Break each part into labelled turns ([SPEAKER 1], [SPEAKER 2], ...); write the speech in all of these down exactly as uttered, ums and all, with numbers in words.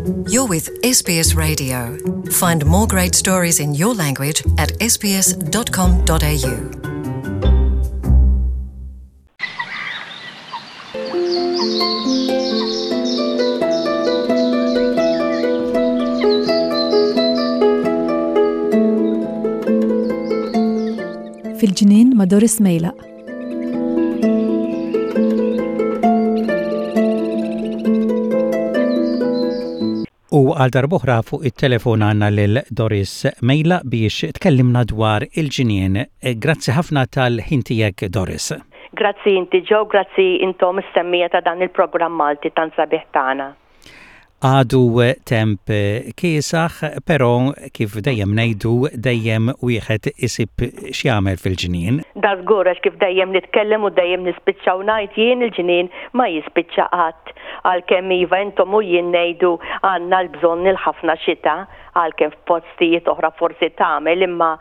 [SPEAKER 1] You're with S B S Radio. Find more great stories in your language at S B S dot com dot A U.
[SPEAKER 2] Fil-ġnien ma' Doris Mejlaq.
[SPEAKER 3] U għal darb'oħra fuq it-telefon għandna lil Doris Mejlaq biex tkellimna dwar il-ġnien. Grazzi ħafna tal-ħin tiegħek, Doris.
[SPEAKER 4] Grazzi inti, Joe, grazzi intom is-semmiegħa ta' dan il-programm Malti tant sabiħ tagħna.
[SPEAKER 3] Għadu temp kiesaħ, però kif dejjem ngħidu, dejjem wieħed isib x'jagħmel fil-ġnien.
[SPEAKER 4] Da żgur, għax kif dejjem nitkellem u dejjem nispiċċaw ngħid jien, il-ġnien ma jispiċċa qatt. Għalkemm iva, intom u jien ngħidu għandna l-bżonn il-ħafna xita, għalkemm f'postijiet oħra forsi tagħmel, imma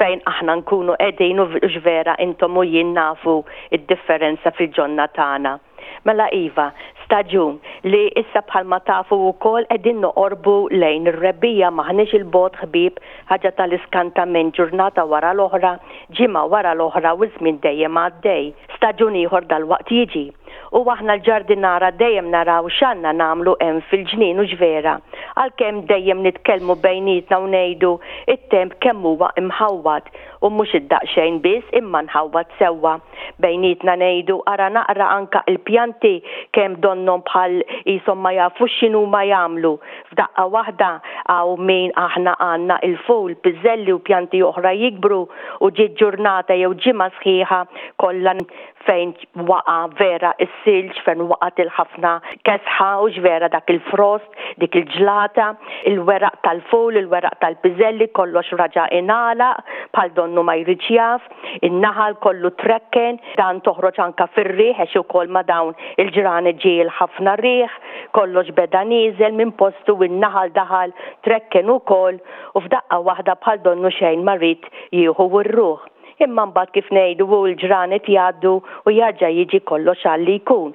[SPEAKER 4] fejn aħna nkunu qegħdin u vera intom u jien nafu id-differenza fil-ġonna tagħna. Mela iva, staġun li issa bħalma tafu wkoll qegħdin noqorbu lejn ir-rebbiegħa, m'aħniex 'il bogħod, ħbieb, ħaġa tal-iskantament, ġurnata wara l-oħra, ġimgħa wara l-oħra u żmien dejjem għaddej. Staġun ieħor dal-waqt jiġi. U aħna l-ġardinara dejjem naraw x'għandna nagħmlu hemm fil-ġnien u vera. Għalkemm dejjem nitkellmu bejnietna u ngħidu it-temp kemm huwa imħawwad, u mhux id-daqsxejn biss imma nħawwad sewwa. Bejnietna ngħidu, ara naqra anka il-pjanti kemm donnhom bħal qishom ma jafux x'inhu ma jagħmlu. F'daqqa waħda hawn min aħna għandna il-ful, piżelli u pjanti oħra jikbru u ġiet ġurnata jew ġimgħa sħiħa kollha fejn waqa vera is-silġ, fejn waqat il-ħafna kesħa u vera dak il-frost, dik il-ġlata, il-weraq tal-ful, il-weraq tal-piżelli, kollox raġa ingħalaq bħal donnu ma jridx jaf, in-naħal kollu trekken, dan toħroġ anka fir-riħ għax ukoll ma dawn il-ġranet ġie ħafna riħ, kollox beda nieżel minn postu, in-naħal daħal trekken ukoll u f'daqqa waħda bħal donnu xejn ma rrid jieħu r-ruħ. Imma mbagħad, kif ngħidu, u l-ġranet jgħaddu u jarġa' jiġi kollox għal li jkun.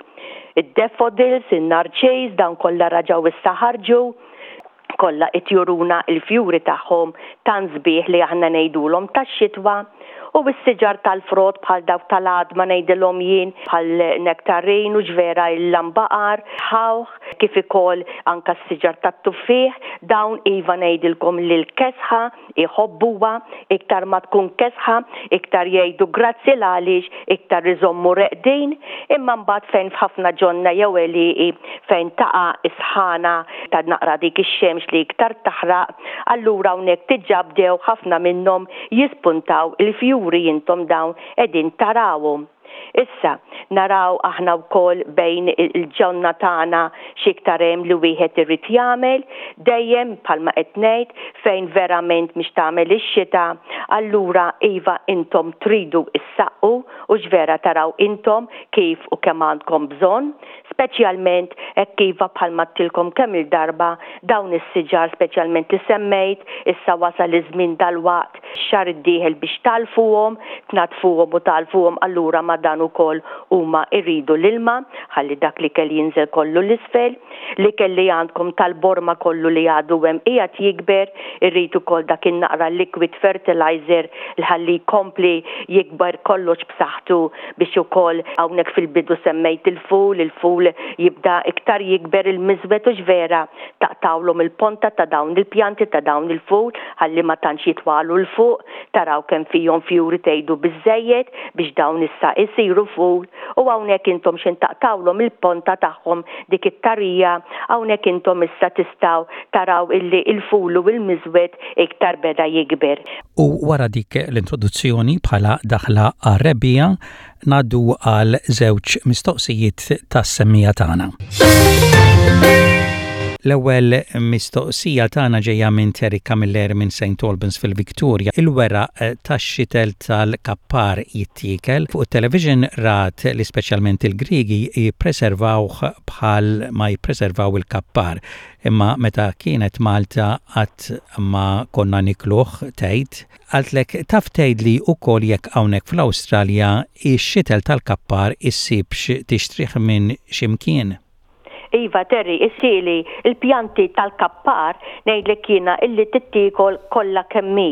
[SPEAKER 4] Id-daffodils, in-narċis, dawn kollha raġaw issa ħarġu, kollha qed juruna il-fjuri tagħhom tant sbieħ li aħna ngħidulhom tax-xitwa, u s-siġar tal-frott bħal dawk tal-għadma ngħidilhom jien, bħal nektarin u ġvera il-lambaqar, ħawħ, kif ukoll anka s-siġar tat-tuffieħ, dawn iva ngħidilkom li l-kesħa iħobbuha, iktar ma tkun kesħa, iktar jgħidu grazzi l-għaliex iktar iżommu reqdin, imma mbagħad fejn f'ħafna ġonna jew għelieqi fejn taqa' isħana ta' naqra dik ix-xemx li iktar taħraq, allura hawnhekk diġà bdew ħafna minnhom jispuntaw il-fjuri, intom dawn qegħdin tarawhom. Issa, naraw aħna wkoll bejn il-ġonna tagħna x'iktar hemm li wieħed irid jagħmel, dejjem bħalma qed ngħid, fejn verament mhix tagħmel ix-xita, allura iva, intom tridu issaqqu u ġvera taraw intom kif u kemm għandkom bżonn, speċjalment hekk iva bħalma għedtilkom kemm il-darba dawn is-siġar speċjalment li semmejt, issa wasal iż-żmien dal-waqt xahar id-dieħel biex tgħallfuhom, tnaddfuhom u tgħallfuhom, allura ma dan ukoll huma jridu l-ilma ħalli dak li kell jinżel kollu l-isfel, li kelli għandkom tal-borma kollu li għadu hemm qiegħed jikber, irrid ukoll dak in-naqra liquid fertilizer li ħalli jkompli jikber kollox b'saħħtu biex ukoll hawnhekk fil-bidu semmejt il-ful, il-ful jibda iktar jikber, il-miżwed u ġvera taqtawlhom il-ponta ta' dawn il-pjanti ta' dawn il-ful ħalli ma tantx jitwalu 'l fuq, taraw kemm fihom fjuri, tgħidu biżejjed biex dawn issa isiru ful, u hawnhekk intom xin taqtawlhom il-ponta tagħhom, dik it-tarija, hawnhekk intom issa tistgħu taraw illi il-ful u il-miżwed iktar beda jikber.
[SPEAKER 3] U wara dik l-introduzzjoni bħala daħla għar-rebbiegħa, ngħaddu għal żewġ mistoqsijiet tas-semmiegħa tagħna. L-ewwel mistoqsija tagħna ġejja minn Terry Camilleri minn Saint Albans fil-Victoria. Il-weraq tax-xitel tal-kappar jittiekel? Fuq it-television rat li speċjalment il-Griegi jippreservawh bħal ma jippreservaw il-kappar. Imma meta kienet Malta qatt ma konna nikluh, tgħid. Qaltlek taf tgħidli wkoll jekk hawnhekk fl-Awstralja ix-xitel tal-kappar issibx tixtrih minn x'imkien.
[SPEAKER 4] Iva Terry, issili il-pjanti tal-kappar ngħidlek jiena illi tittiekol kollha kemm hi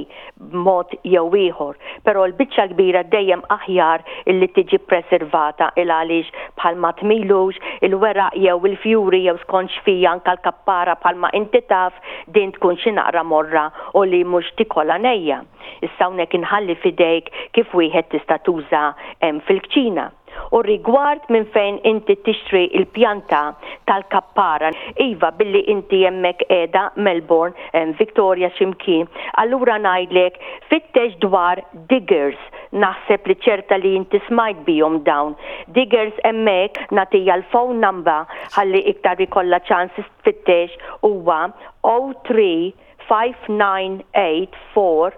[SPEAKER 4] b'mod jew ieħor, però l-biċċa kbira dejjem aħjar illi tiġi preservata il għaliex bħalma tmilux il-weraq jew il-fjuri jew skont x'fiha anke l-kappara bħalma inti taf din tkun xi naqra morra u li mhux tikolha nejja. Issa hawnhekk inħalli f'idejk kif wieħed tista' tuża hemm fil-kċina. U rigward minn fejn inti tixtri il-pjanta tal-kappara, iva billi inti hemmhekk qiegħda Melbourne, Victoria x'imkien, allura ngħidlek fittex dwar Diggers. Naħseb li ċerta li inti smajt bihom dawn. Diggers hemmhekk nagħtiha l-phone number ħalli iktar ikollha ċans tfittex huwa oh three five nine eight four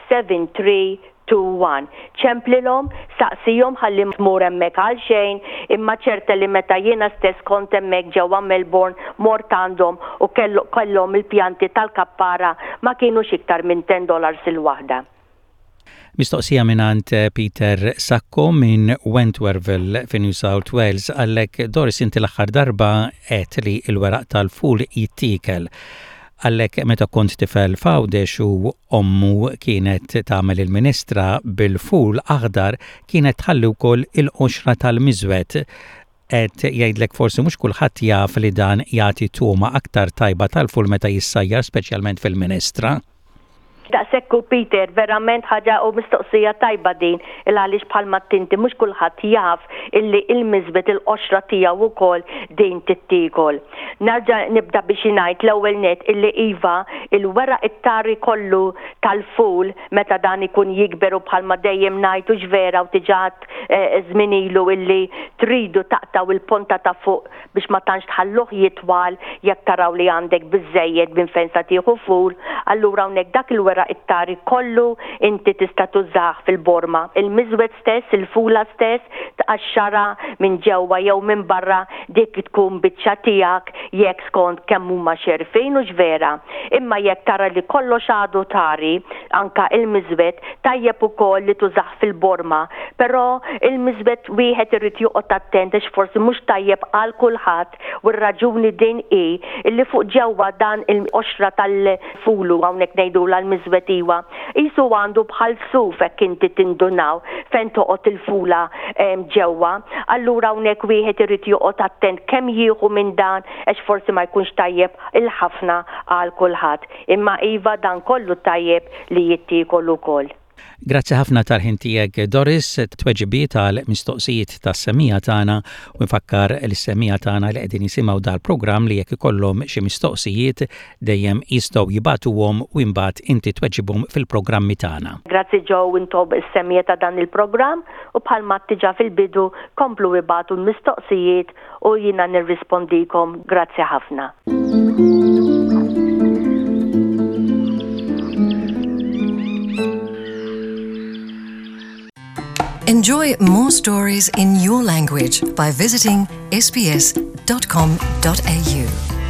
[SPEAKER 4] seven three two one. Ċemplilhom, saqsihom ħalli tmur hemmhekk għal xejn, imma ċerta li meta jiena stess kont hemmhekk ġewwa Melbourne mort għandhom u kellu, kellhom il-pjanti tal-kappara ma kienux iktar minn ten dollars il-waħda.
[SPEAKER 3] Mistoqsija mingħand Peter Sacco minn Wentworthville fi New South Wales għallek Doris inti l-aħħar darba għedt li l-weraq tal-ful jittiekel. Għallek meta kont tifel f'Għawdex u ommu kienet tagħmel il-ministra bil-ful aħdar kienet tħalli wkoll il-qoxra tal-miżwed. Qed jgħidlek forsi mhux kulħadd jaf li dan jagħti togħma aktar tajba tal-ful meta jissajjar speċjalment fil-ministra.
[SPEAKER 4] Daqshekk u Peter, verament ħaġa u mistoqsija tajba din, il għaliex bħalma tinti mhux kulħadd jaf illi il-miżbet il-qoxra tiegħu wkoll din tittiekol. Nerġa' nibda biex ngħid l-ewwel net illi iva il-weraq it-tari kollu tal-ful meta dan ikun jikber u bħalma dejjem ngħid u x'vera u diġà, eh, żmien ilu illi tridu taqtaw il-ponta ta' fuq biex ma tantx tħalluh jitwal jekk taraw li għandek biżejjed minn fejn sa tieħu ful, allura hawnhekk dak il-weraq it-tari kollu inti tista' tużah fil-borma. Il-miżwed stess, il-fula stess, tqaxxara minn ġewwa jew minn barra dik tkun biċċa tiegħek jekk skont kemm huma xerfin u x'vera. Imma jekk tara li kollox għadu tari, anka il-miżwed, tajjeb ukoll li tużah fil-borma. Però il-miżwed wieħed irid joqgħod attent għax forsi mhux tajjeb għal kulħadd u r-raġuni din hi illi fuq ġewwa dan il-qoxra tal-fulu hawnhekk ngħidulha l-miżwed iwa, qisu għandu bħal suf hekk inti tindunaw fejn toqgħod il-fula, em, ġewwa. Allura hawnhekk wieħed irid joqgħod attent kemm jieħu minn dan għax forsi ma jkunx tajjeb il-ħafna għal kulħadd. Imma iva dan kollu tajjeb li jittiekol ukoll.
[SPEAKER 3] Grazzi ħafna tal-ħin tiegħek Doris, tweġibiet għal mistoqsijiet tas-semmiegħa tagħna u nfakkar lis-semmiegħa tagħna li qegħdin jisimgħu dal-programm li jekk ikollhom xi mistoqsijiet dejjem jistgħu jibagħtuhom u imbagħad inti tweġibhom fil-programmi tagħna.
[SPEAKER 4] Grazzi Joe intom is-semmiegħa ta' dan il-programm u bħalma diġà fil-bidu komplu ibagħtu l-mistoqsijiet u jiena nirrispondikom. Grazzi ħafna.
[SPEAKER 1] Enjoy more stories in your language by visiting S B S dot com dot A U.